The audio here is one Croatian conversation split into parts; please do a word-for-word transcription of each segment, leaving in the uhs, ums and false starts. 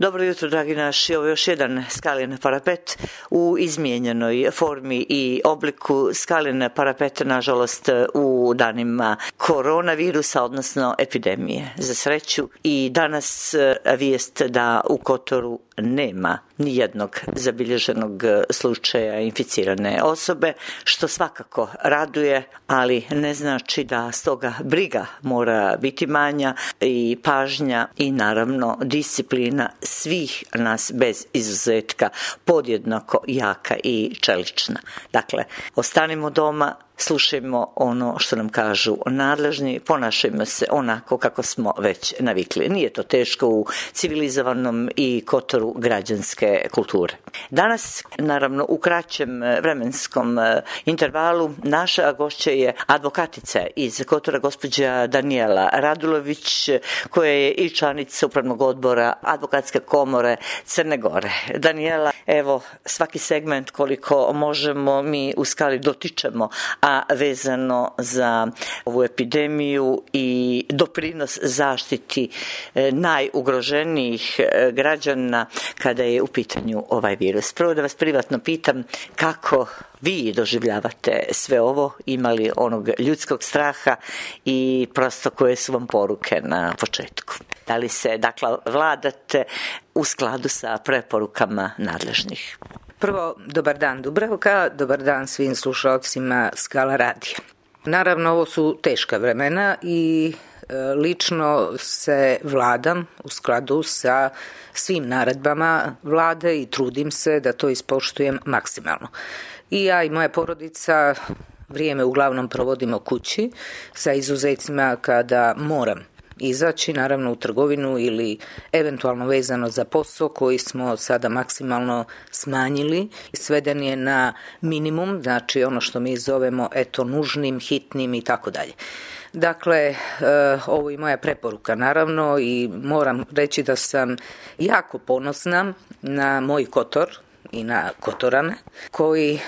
Dobro jutro, dragi naši. Ovo je još jedan Skalin parapet u izmijenjenoj formi i obliku. Skalin parapet, nažalost, u danima koronavirusa, odnosno epidemije. Za sreću i danas vijest da u Kotoru nema nijednog zabilježenog slučaja inficirane osobe, što svakako raduje, ali ne znači da stoga briga mora biti manja i pažnja i naravno disciplina svih nas bez izuzetka podjednako jaka i čelična. Dakle, ostanimo doma, slušajmo ono što nam kažu nadležni, ponašajmo se onako kako smo već navikli. Nije to teško u civilizovanom i Kotoru građanske kulture. Danas, naravno, u kraćem vremenskom intervalu naša gošća je advokatica iz Kotora, gospođa Danijela Radulović, koja je i članica Upravnog odbora Advokatske komore Crne Gore. Danijela, evo, svaki segment koliko možemo mi u Skali dotičemo, a vezano za ovu epidemiju i doprinos zaštiti najugroženijih građana kada je u pitanju ovaj virus. Prvo da vas privatno pitam kako vi doživljavate sve ovo, imali onog ljudskog straha i prosto koje su vam poruke na početku? Da li se, dakle, vladate u skladu sa preporukama nadležnih? Prvo, dobar dan Dubravka, dobar dan svim slušalcima Skala radija. Naravno, ovo su teška vremena i e, lično se vladam u skladu sa svim naredbama vlade i trudim se da to ispoštujem maksimalno. I ja i moja porodica vrijeme uglavnom provodimo kući, sa izuzecima kada moram izaći, naravno, u trgovinu ili eventualno vezano za posao koji smo sada maksimalno smanjili. Sveden je na minimum, znači ono što mi zovemo eto nužnim, hitnim i tako dalje. Dakle, e, ovo je moja preporuka, naravno, i moram reći da sam jako ponosna na moj Kotor i na Kotorane, koji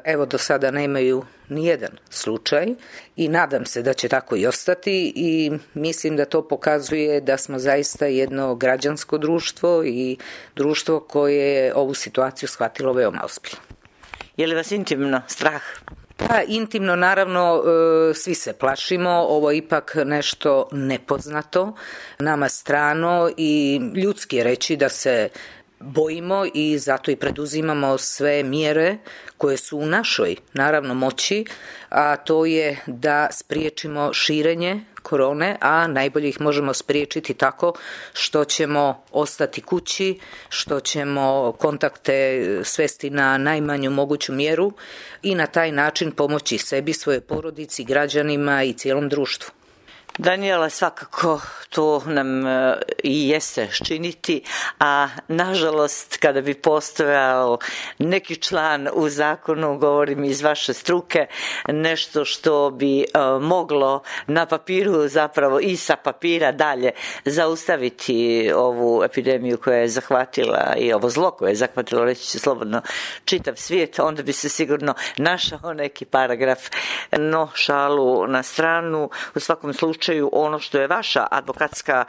evo do sada nemaju nijedan slučaj i nadam se da će tako i ostati i mislim da to pokazuje da smo zaista jedno građansko društvo i društvo koje je ovu situaciju shvatilo veoma ozbiljno. Je li vas intimno strah? Pa, intimno, naravno, svi se plašimo, ovo je ipak nešto nepoznato, nama strano i ljudski je reći da se bojimo i zato i preduzimamo sve mjere koje su u našoj, naravno, moći, a to je da spriječimo širenje korone, a najbolje ih možemo spriječiti tako što ćemo ostati kući, što ćemo kontakte svesti na najmanju moguću mjeru i na taj način pomoći sebi, svojoj porodici, građanima i cijelom društvu. Danijela, svakako to nam i jeste činiti, a nažalost kada bi postojao neki član u zakonu, govorim iz vaše struke, nešto što bi uh, moglo na papiru zapravo i sa papira dalje zaustaviti ovu epidemiju koja je zahvatila i ovo zlo koje je zahvatilo, reći ću slobodno, čitav svijet, onda bi se sigurno našao neki paragraf. No, šalu na stranu, u svakom slučaju ono što je vaša advokatska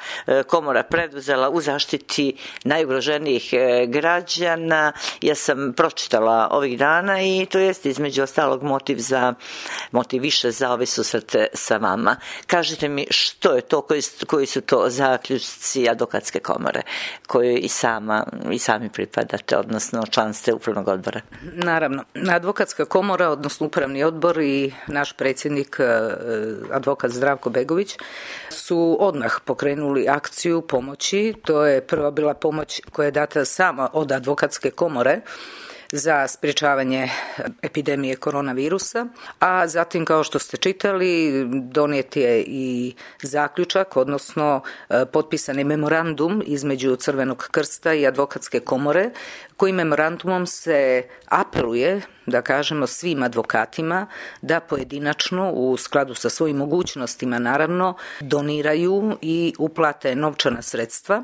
komora preduzela u zaštiti najugroženijih građana, ja sam pročitala ovih dana i to jest između ostalog motiv za motiv više za ove susrete sa vama. Kažite mi što je to, koji, koji su to zaključci advokatske komore koje i sama i sami pripadate, odnosno član ste Upravnog odbora? Naravno, advokatska komora, odnosno Upravni odbor i naš predsjednik advokat Zdravko Begović su odmah pokrenuli akciju pomoći. To je prva bila pomoć koja je data sama od advokatske komore za sprječavanje epidemije koronavirusa, a zatim, kao što ste čitali, donijet je i zaključak, odnosno potpisani memorandum između Crvenog krsta i advokatske komore, koji memorandumom se apeluje, da kažemo, svim advokatima da pojedinačno, u skladu sa svojim mogućnostima, naravno, doniraju i uplate novčana sredstva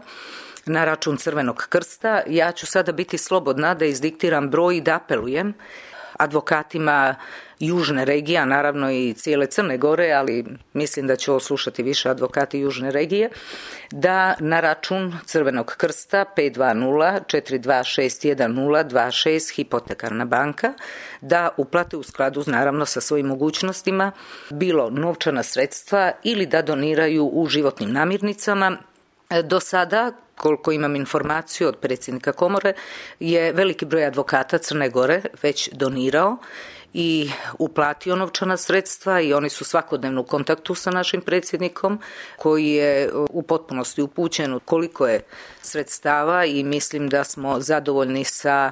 na račun Crvenog krsta. Ja ću sada biti slobodna da izdiktiram broj i da apelujem advokatima južne regije, a naravno i cijele Crne Gore, ali mislim da će ovo slušati više advokati južne regije, da na račun Crvenog krsta pet dva nula četiri dva šest jedan nula dva šest Hipotekarna banka, da uplate u skladu naravno sa svojim mogućnostima bilo novčana sredstva ili da doniraju u životnim namirnicama. Do sada, koliko imam informaciju od predsjednika komore, je veliki broj advokata Crne Gore već donirao i uplatio novčana sredstva i oni su svakodnevno u kontaktu sa našim predsjednikom koji je u potpunosti upućen koliko je sredstava i mislim da smo zadovoljni sa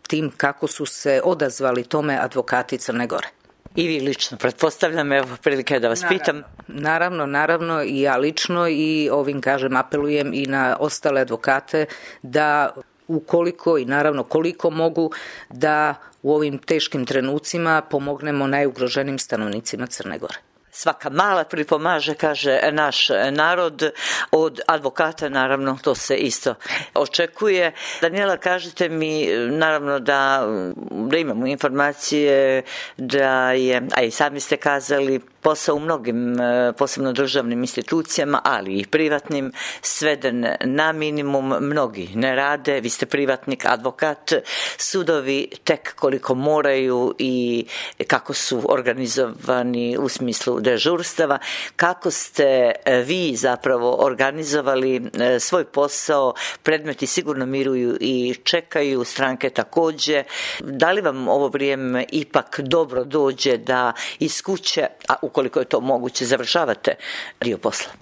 tim kako su se odazvali tome advokati Crne Gore. I vi lično, pretpostavljam, evo prilike da vas naravno, pitam. Naravno, naravno i ja lično i ovim kažem apelujem i na ostale advokate da ukoliko i naravno koliko mogu da u ovim teškim trenucima pomognemo najugroženijim stanovnicima Crne Gore. Svaka mala pripomaže, kaže naš narod, od advokata naravno to se isto očekuje. Daniela, kažite mi naravno da, da imamo informacije da je, a i sami ste kazali, posao u mnogim, posebno državnim institucijama, ali i privatnim, sveden na minimum, mnogi ne rade, vi ste privatnik, advokat, sudovi tek koliko moraju i kako su organizovani u smislu dežurstava, kako ste vi zapravo organizovali svoj posao, predmeti sigurno miruju i čekaju, stranke također. Da li vam ovo vrijeme ipak dobro dođe da iz kuće, a ukoliko je to moguće, završavate dio posla?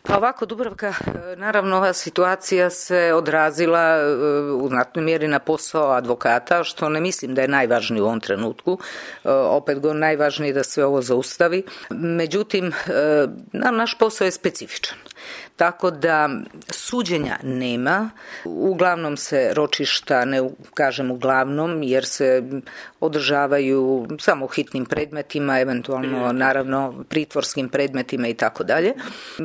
Pa ovako, Dubravka, naravno ova situacija se odrazila u znatnoj mjeri na posao advokata, što ne mislim da je najvažnije u ovom trenutku. Opet go najvažnije je da sve ovo zaustavi. Međutim, naš posao je specifičan. Tako da suđenja nema, uglavnom se ročišta, ne kažem uglavnom, jer se održavaju samo hitnim predmetima, eventualno naravno pritvorskim predmetima i tako dalje,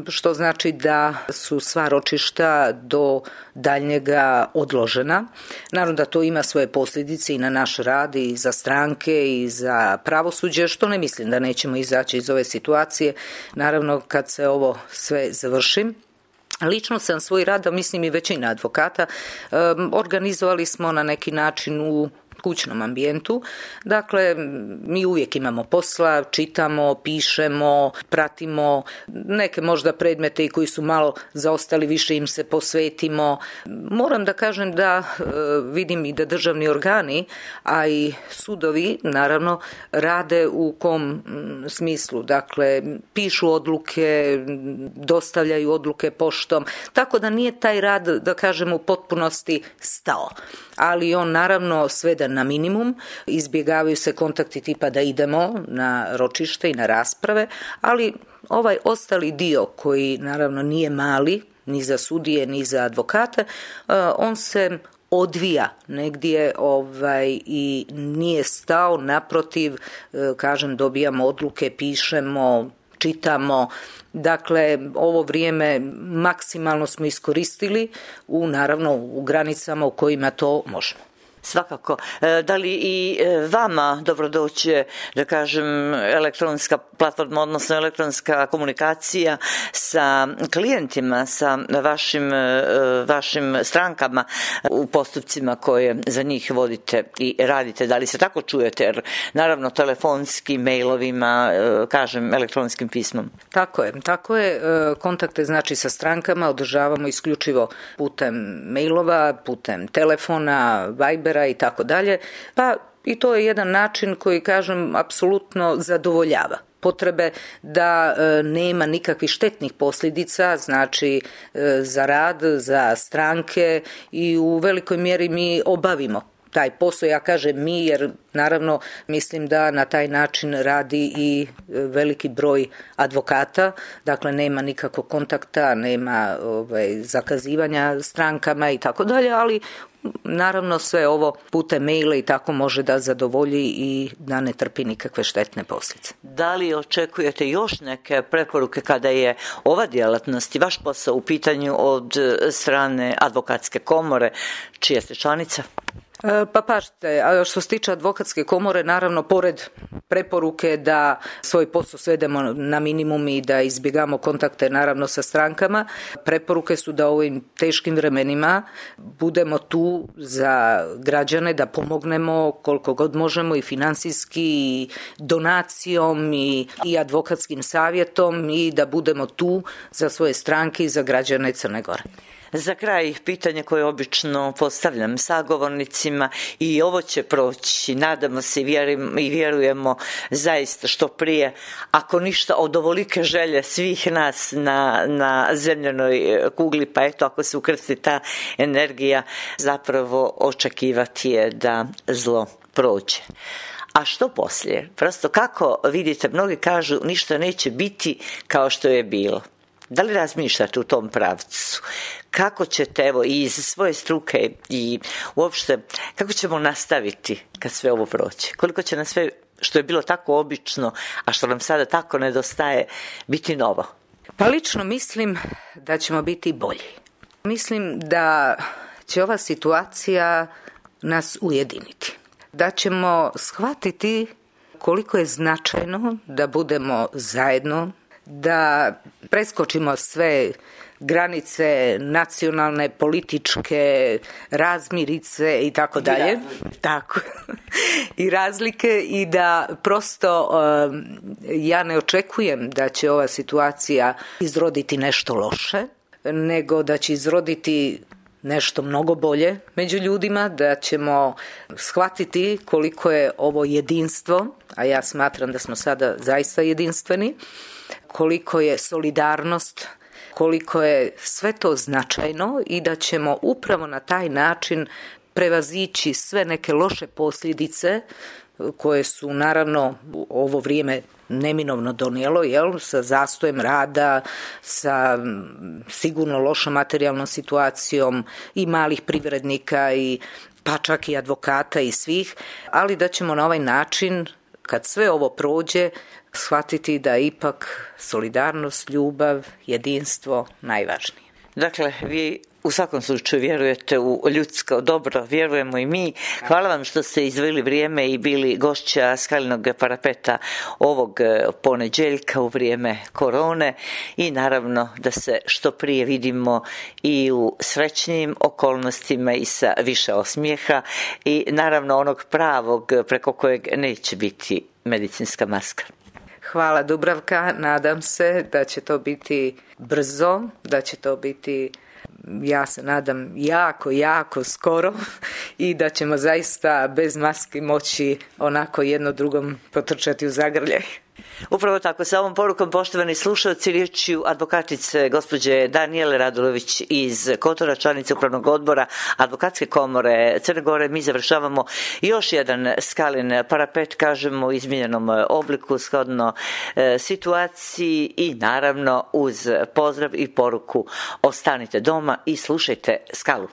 što znači da su sva ročišta do daljnjega odložena. Naravno da to ima svoje posljedice i na naš rad i za stranke i za pravosuđe, što ne mislim da nećemo izaći iz ove situacije, naravno kad se ovo sve završi. Lično sam svoj rad, a mislim i većina advokata, organizovali smo na neki način u kućnom ambijentu. Dakle, mi uvijek imamo posla, čitamo, pišemo, pratimo neke možda predmete i koji su malo zaostali, više im se posvetimo. Moram da kažem da vidim i da državni organi, a i sudovi, naravno, rade u kom smislu. Dakle, pišu odluke, dostavljaju odluke poštom, tako da nije taj rad, da kažem, u potpunosti stao. Ali on naravno sveden na minimum, izbjegavaju se kontakti tipa da idemo na ročište i na rasprave, ali ovaj ostali dio koji naravno nije mali, ni za sudije, ni za advokate, on se odvija negdje ovaj, i nije stao, naprotiv, kažem, dobijamo odluke, pišemo, čitamo. Dakle, ovo vrijeme maksimalno smo iskoristili u, naravno, u granicama u kojima to možemo. Svakako. Da li i vama dobro doće, da kažem, elektronska platforma, odnosno elektronska komunikacija sa klijentima, sa vašim, vašim strankama u postupcima koje za njih vodite i radite? Da li se tako čujete? Jer naravno telefonski, mailovima, kažem, elektronskim pismom. Tako je. Tako je. Kontakte znači sa strankama održavamo isključivo putem mailova, putem telefona, Vibera i tako dalje, pa i to je jedan način koji, kažem, apsolutno zadovoljava potrebe da e, nema nikakvih štetnih posljedica, znači e, za rad, za stranke i u velikoj mjeri mi obavimo taj posao, ja kažem mi, jer naravno mislim da na taj način radi i veliki broj advokata, dakle nema nikakvog kontakta, nema ovaj, zakazivanja strankama i tako dalje, ali naravno sve ovo putem maila i tako može da zadovolji i da ne trpi nikakve štetne posljedice. Da li očekujete još neke preporuke kada je ova djelatnost i vaš posao u pitanju od strane advokatske komore, čija ste članica? Pa pažite, a što se tiče advokatske komore, naravno, pored preporuke da svoj posao svedemo na minimum i da izbjegamo kontakte, naravno, sa strankama, preporuke su da u ovim teškim vremenima budemo tu za građane, da pomognemo koliko god možemo i financijski, i donacijom, i, i advokatskim savjetom, i da budemo tu za svoje stranke i za građane Crne Gore. Za kraj, pitanje koje obično postavljam sagovornicima, i ovo će proći, nadamo se i vjerujemo zaista što prije, ako ništa od ovolike želje svih nas na, na zemljanoj kugli, pa eto, ako se ukrsti ta energija, zapravo očekivati je da zlo prođe. A što poslije? Prosto kako vidite, mnogi kažu ništa neće biti kao što je bilo. Da li razmišljate u tom pravcu? Kako ćete, evo, i iz svoje struke i uopšte, kako ćemo nastaviti kad sve ovo proći? Koliko će nam sve što je bilo tako obično, a što nam sada tako nedostaje, biti novo? Pa lično mislim da ćemo biti bolji. Mislim da će ova situacija nas ujediniti. Da ćemo shvatiti koliko je značajno da budemo zajedno, da preskočimo sve granice nacionalne, političke, razmirice i tako dalje. Tako. I razlike, i da prosto um, ja ne očekujem da će ova situacija izroditi nešto loše, nego da će izroditi nešto mnogo bolje među ljudima, da ćemo shvatiti koliko je ovo jedinstvo, a ja smatram da smo sada zaista jedinstveni, koliko je solidarnost, koliko je sve to značajno, i da ćemo upravo na taj način prevazići sve neke loše posljedice koje su naravno u ovo vrijeme neminovno donijelo, jel, sa zastojem rada, sa sigurno lošom materijalnom situacijom i malih privrednika, i pa čak i advokata i svih, ali da ćemo na ovaj način, kad sve ovo prođe, shvatiti da ipak solidarnost, ljubav, jedinstvo najvažnije. Dakle, vi u svakom slučaju vjerujete u ljudsko dobro, vjerujemo i mi. Hvala vam što ste izdvojili vrijeme i bili gošća Skalinog parapeta ovog ponedjeljka u vrijeme korone, i naravno da se što prije vidimo i u srećnim okolnostima i sa više osmijeha, i naravno onog pravog preko kojeg neće biti medicinska maska. Hvala, Dubravka, nadam se da će to biti brzo, da će to biti, ja se nadam, jako, jako skoro, i da ćemo zaista bez maski moći onako jedno drugom potrčati u zagrljaj. Upravo tako, sa ovom porukom, poštovani slušalci, riječju advokatice gospođe Danijele Radulović iz Kotora, članice Upravnog odbora Advokatske komore Crne Gore, mi završavamo još jedan Skalin parapet, kažemo u izmijenjenom obliku, shodno e, situaciji, i naravno uz pozdrav i poruku ostanite doma i slušajte Skalu.